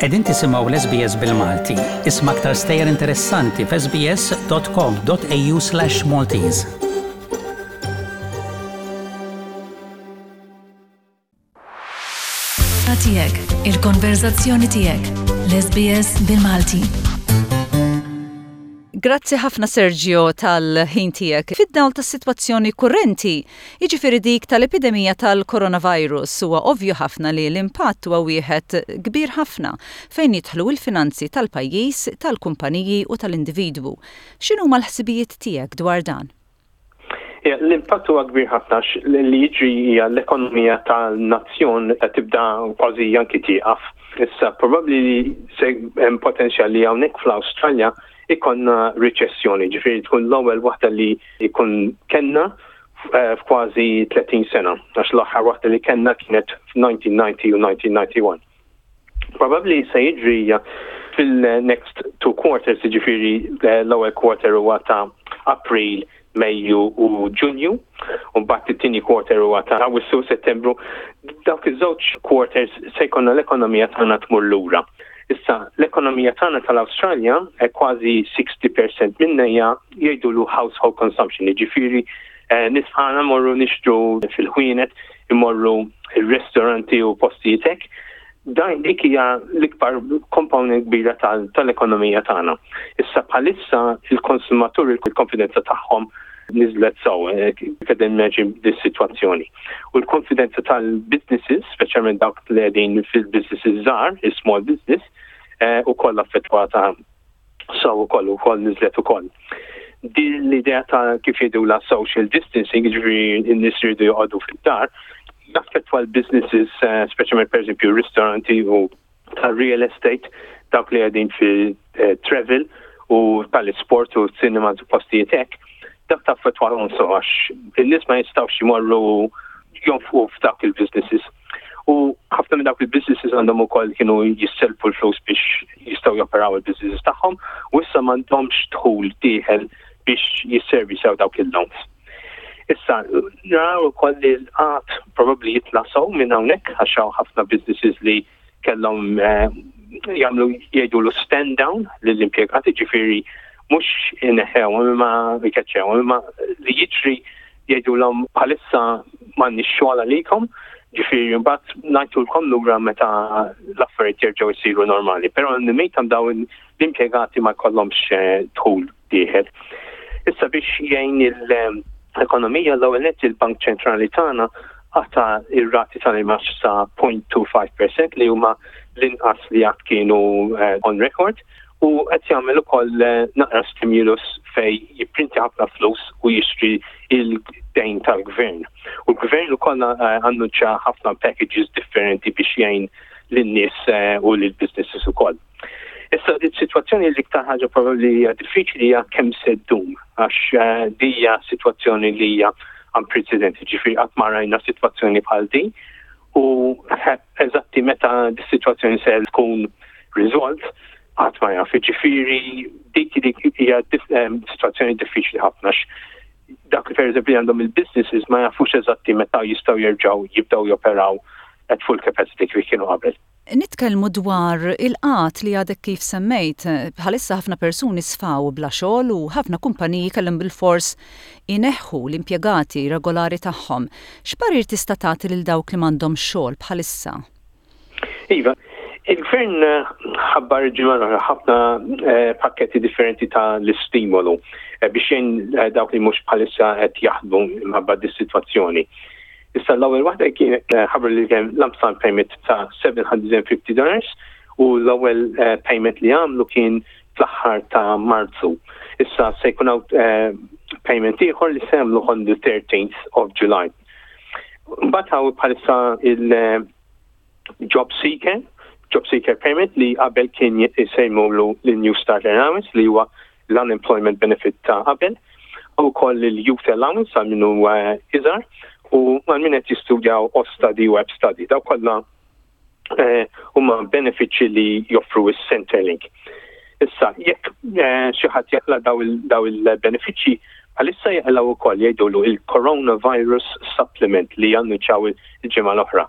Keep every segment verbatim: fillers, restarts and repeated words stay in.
Qegħdin tisimgħu l-S B S bil-Malti. Isma' aktar stejjer interessanti f'S B S dot com dot A U slash Maltese. Tiegħek, il-konverzazzjoni tiegħek, l-S B S bil-Malti. Grazzi ħafna, Sergio, tal-ħin tiegħek. Fid-dawl tas-sitwazzjoni kurrenti, jiġifieri dik tal-epidemija tal-coronavirus, huwa ovvju ħafna li l-impatt huwa wieħed kbir ħafna fejn jidħlu l-finanzi tal-pajjiż, tal-kumpaniji u tal-individwu. X'inhuma l-ħsibijiet tiegħek dwar dan? L-impatt huwa kbir ħafna. Li jiġri hija l-ekonomija tal-nazzjon tibda kważi anki tieqaf. Issa probabbli li se hemm potenzjal li hawnhekk fl-Awstralja ikollna riċessjoni, ġifieri tkun l-ewwel waħda li jkun kellna eh, f'kważi tletin sena, għax l-aħħar waħda li kellna kienet f'elf disa' mija disgħin u elf disa' mija disgħa u disgħin. Probabbli se jiġri fil-next two quarters, ġifieri eh, l-ewwel quarter huwa ta' April, Mejju u Ġunju, u mbagħad it-tieni quarter huwa ta' Awwissu, Settembru. Dawk iż-żewġ quarters se jkollna l-ekonomija tagħna tmur lura. Issa, l-ekonomija tagħna tal-Awstralja eh, kważi sittin fil-mija minnha hija jgħidulu household consumption, jiġifieri eh, nies bħalna morru nixtru fil-ħwienet, imorru il-ristoranti u postijiet hekk. Dan dik hija l-ikbar komponent kbira tal-ekonomija tagħna. Issa bħalissa il-konsumatur il-konfidenza tagħhom niżlet sew, eh, qed imagine dis-sitwazzjoni. U l-konfidenza tal-businesses, speċjalment dawk li qegħdin fil-businesses żgħar, il-small business, eh, ukoll affettwata sew ukoll ukoll niżlet ukoll. Din l-idea ta' kif jgħidula social distancing, ġifieri n-nies jridu joqogħdu fid-dar, jaffettwa l-businesses, eh, speċjalment per eżempju ristoranti u tal-real estate, dawk li qegħdin fi travel u tal-sport u cinema u postijiet hekk, dak taffettwa sew għax in-nies ma jistgħux jmorru jonfqu f'dawk il-businesses. U ħafna minn dawk il-businesses għandhom ukoll kienu jisselfu l-flus biex jistgħu joperaw il-businesses tagħhom u issa m'għandhomx dħul dieħel biex jisservisaw dawk il-loans. Issa, naraw ukoll li l-qgħad probabbli jitla' sew minn hawnhekk għax hawn ħafna businesses li kellhom eh, jagħmlu jgħidulu stand down lill-impjegati, ġifieri mhux ineħħew imma jkeċċew, imma li jiġri jgħidulhom bħalissa m'għandniex xogħol għalikom, ġifieri mbagħad ngħidulkom lura meta l-affarijiet jerġgħu jsiru normali. Però n-mejtam dawn l-impjegati ma jkollhomx eh, dħul dieħel. Issa, biex jgħin il-ekonomija, l-ewwel nett il-Bank Ċentrali tagħna qata' ir-rati tal-imgħax sa zero punt tnejn ħamsa fil-mija, li huma l-inqas li qatt kienu eh, on record, u qed jagħmel ukoll eh, naqra stimulus fej jipprinti ħafna flus u jixtri il-dejn tal-gvern. U l-gvern ukoll eh, annuċa ħafna packages differenti biex jgħin lin-nies u lill-businesses ukoll. Issa, di situazzjoni, l-iktar ħaġa probabbli hija diffiċli hija kemm se ddum, għax din hija situazzjoni li hija unprecedented, ġifieri qatt ma rajna situazzjoni bħal din u eżatti meta di situazzjoni se tkun resolved qatt ma jaf. Ġifieri dik dik hija situazzjoni diffiċli ħafna. Dak li per għandhom il-businesses ma jafux eżatti meta jistgħu jerġgħu jibdew joperaw at full capacity kif kienu qabel. Nitkellmu dwar il-qgħad li għadek kif semmejt, bħalissa ħafna persuni sfaw bla xogħol u ħafna kumpaniji kellhom bil-fors ineħħu l-impjegati regolari tagħhom. X'parir tista' tagħti lil dawk li m'għandhom xogħol bħalissa? Iva, il-gvern ħabbar ġimgħa ħafna eh, pakketti differenti ta' l-istimolu eh, biex jgħin eh, dawk li mhux bħalissa qed jaħdmu minħabba dis-sitwazzjoni. Issa, l-ewwel waħda kien ħabbar li kien lump sum payment ta' seba' mija u ħamsin dollars u l-ewwel payment li għamlu kien fl-aħħar ta' Marzu. Issa se jkun hawn payment ieħor li se jagħmlu on the thirteenth of July. Mbagħad hawn bħalissa il- Job Seeker, Job Seeker Payment, li qabel kien jsejmulu l-New Start Allowance, li huwa l-Unemployment Benefit ta' qabel, u koll il-Youth Allowance għal min hu iżgħar u għal min qed jistudjaw Austudy u ABSTUDY. Daw kollha eh, huma benefiċċji li joffru is-Centrelink. Issa, jekk eh, xi ħadd jaqla' daw il-benefiċċji, bħalissa jaqilgħu wkoll jgħidulu il-Coronavirus Supplement li annuċaw il-ġimgħa l-oħra.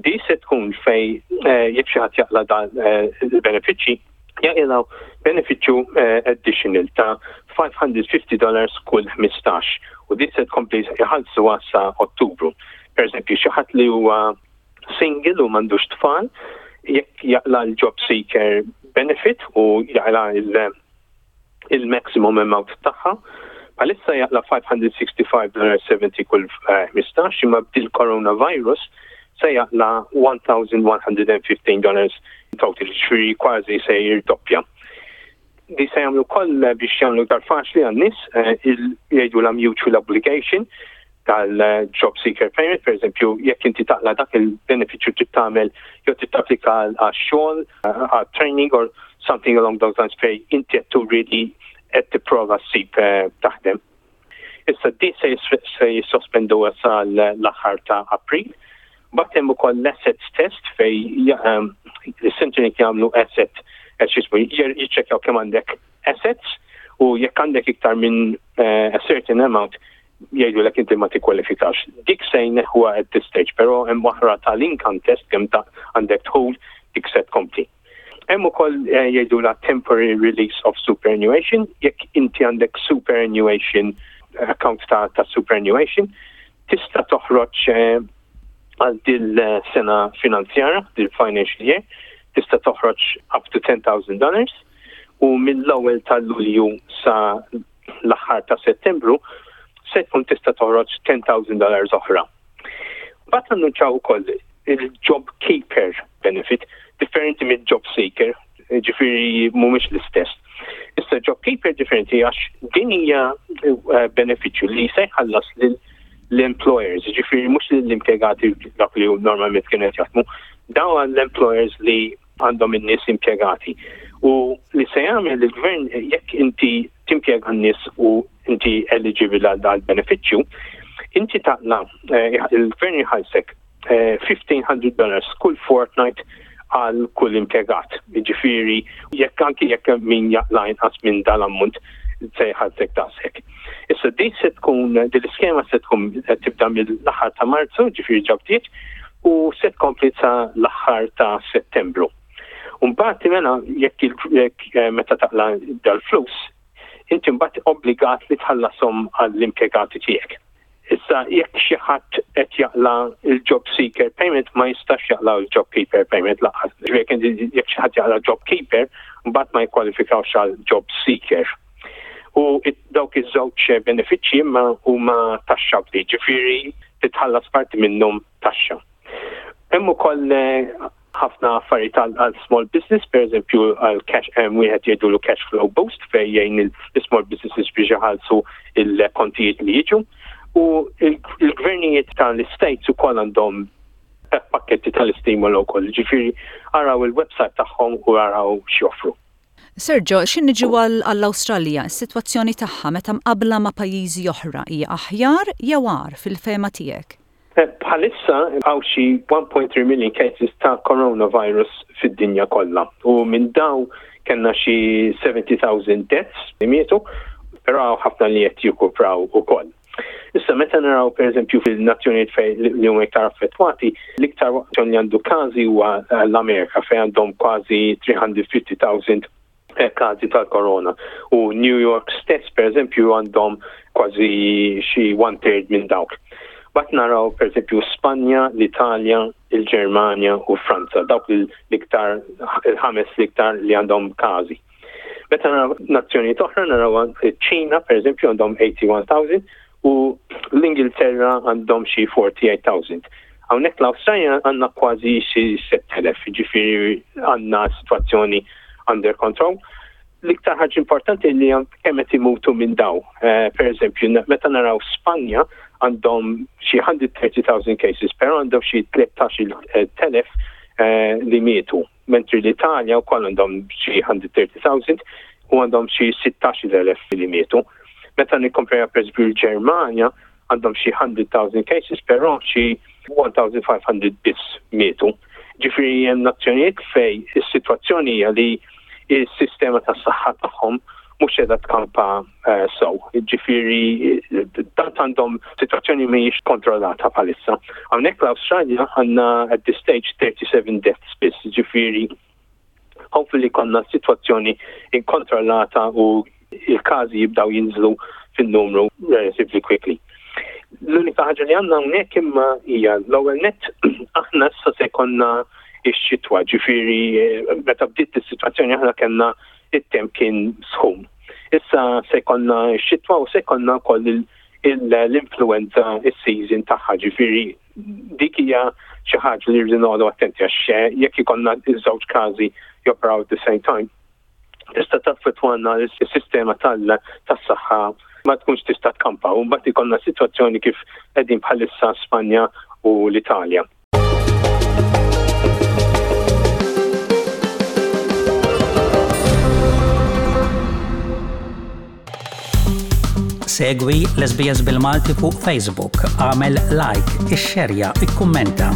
Di se tkun fej eh, jekk xi ħadd jaqla dan eh, il-benefiċċji, jaqilgħu benefiċċju eh, additional ta' ħames mija u ħamsin dollars kull ħmistax u di se tkompli jħallsu sa Ottubru. Per eżempju, xi ħadd li huwa single u m'għandux tfal, jekk jaqla l-job seeker benefit u jaqla il-maximum amount tagħha, bħalissa jaqla ħames mija u ħamsa u sittin dollars sebgħin kull ħmistax, imma bil-coronavirus se jaqla elf u wieħed u ħmistax dollars total, ġifieri kważi se jirdoppja. Di se jagħmlu koll biex jagħmlu iktar faċli għan-nies, eh, jgħidu la mutual obligation tal-job seeker payment, per eżempju, jekk inti taqla dak il-benefiċċju, trid tagħmel jew trid tapplika għal xogħol, għal training or something along those lines fej inti qed turi li qed tipprova ssib eh, taħdem. Issa di se jissospendu sa l-aħħar ta' April. But hemm ukoll l-assets test fej ehm, l-Centrelink jagħmlu asset eh, x'ismu, jiċċekkjaw kemm għandek assets u jekk għandek iktar minn eh, a certain amount, jgħidu l inti ma tikkwalifikax. Dik se jneħħuha at this stage, però hemm waħra tal-income test, kemm ta' għandek dħul, dik se tkompli. Hemm ukoll eh, jgħidu la temporary release of superannuation, jekk inti għandek superannuation account ta', ta superannuation, tista' toħroġ eh, għal dil sena finanzjara, dil financial year, tista' toħroġ up to ten thousand dollars u mill-ewwel tal-Lulju sa l-aħħar ta' Settembru se tkun tista' toħroġ ten thousand dollars oħra. Bat annunċaw ukoll il-job keeper benefit, differenti mill job seeker, ġifieri mhumiex l-istess. Issa job keeper differenti għax din hija eh, benefiċċju li se jħallas l-employers, ġifieri mhux l-impjegati, dak li normalment kienet jaħdmu, dawn l-employers li għandhom in-nies impjegati. U li se jagħmel il-gvern, jekk inti timpjega n-nies u inti eligible għal dal benefiċċju, inti taqla eh, il-gvern jħallsek elf u ħmiċ mija dollars kull fortnight għal kull impjegat. Ġifieri, jekk anki jekk min jaqla inqas minn dal-ammont, se jħallsek daqshekk. Issa din se tkun, din l-iskema se tkun tibda mill-aħħar ta' Marzu, ġifieri ġabtiet, u se tkompli sa l-aħħar ta' Settembru. Mbagħad mela jekk eh, meta taqla dal-flus, inti mbagħad obbligat li tħallasom għall-impjegati tiegħek. Issa jekk xi ħadd qed jaqla il-job seeker payment, ma jistax jaqla l-job keeper payment lanqas. Jekk xi ħadd jaqla job keeper, mbagħad ma jkwalifikawx għal job seeker. U dawk iż-żewġ benefiċċji imma huma taxxabbli, ġifieri titħallas parti minnhom taxxa. Hemm ukoll eh, ħafna affarijiet għal small business, per eżempju għal cash, wieħed jgħidulu cash flow boost fejn jgħin il-small businesses biex iħallsu il-kontijiet li jiġu. U il-gvernijiet tal-states ukoll għandhom pakketti tal-istimolu wkoll, ġifieri araw il-website tagħhom u araw x'joffru. Sergio, x'ħin niġu għall-Awstralja, is-sitwazzjoni tagħha meta mqabla ma' pajjiżi oħra hija aħjar jew agħar fil-fehma tiegħek? Eh, bħalissa hawn xi one point three million cases ta' coronavirus fid-dinja kollha u minn daw kellna xi seventy thousand deaths li mietu, però ħafna li qed jikupraw ukoll. Issa meta naraw, pereżempju, fil-nazzjonijiet fejn li huma iktar affettwati, l-iktar li għandu każi huwa l-Amerika fejn għandhom kważi tliet mija u ħamsin elf eh, każi tal-korona. U New York stess, per eżempju, għandhom kważi xi one third minn dawk. But naraw, per eżempju, Spanja, l-Italja, il-Ġermanja u Franza, dawk l-iktar, il-ħames l-iktar li għandhom każi. Meta naraw nazzjonijiet oħra, naraw ċina, per eżempju, għandhom wieħed u tmenin elf u l-Ingilterra għandhom xi tmien u erbgħin elf. Hawnhekk l-Awstralja għandna kważi xi sett elef, ġifieri għandna situazzjoni under control. L-iktar ħaġa importanti li kemm qed imutu minn daw. Uh, per eżempju, meta naraw Spanja, għandhom xi mija u tletin elf cases, però għandhom xi tlettax-il elf uh, li mietu. Mentri l-Italja wkoll għandhom xi mija u tletin elf u għandhom xi sittax-il elf li mietu. Meta nikkompara, per eżempju, l-Ġermanja, għandhom xi mija elf cases, però xi elf u ħames mija biss mietu. Ġifieri hemm nazzjonijiet fej is-sitwazzjoni hija li il-sistema tas saħħa tagħhom mhux qiegħda tkampa uh, sew. Ġifieri tant għandhom sitwazzjoni mhijiex kontrollata bħalissa. Hawnhekk l-Awstralja għandna at this stage thirty-seven deaths biss, ġifieri hopefully konna sitwazzjoni inkontrollata u il-każi jibdaw jinżlu fin-numru relatively quickly. L-unika ħaġa li għandna hawnhekk imma hija l-ewwel net aħna issa se jkollna ix-xitwa, ġifieri eh, meta bdiet is-sitwazzjoni aħna kellna it-temp kien sħun. Issa se jkollna x-xitwa u se jkollna wkoll l-influenza is-season tagħha, ġifieri dik hija xi ħaġa li rridu noqogħdu attenti għax jekk ikollna iż-żewġ każi joperaw at the same time, tista' taffettwana s-sistema tas-saħħa, ma tkunx tista' tkampa u mbagħad ikollna sitwazzjoni kif qegħdin bħalissa Spanja u l-Italja. Segwi l-S B S bil-Malti fuq Facebook, għamel like, ixxerja, ikkummenta.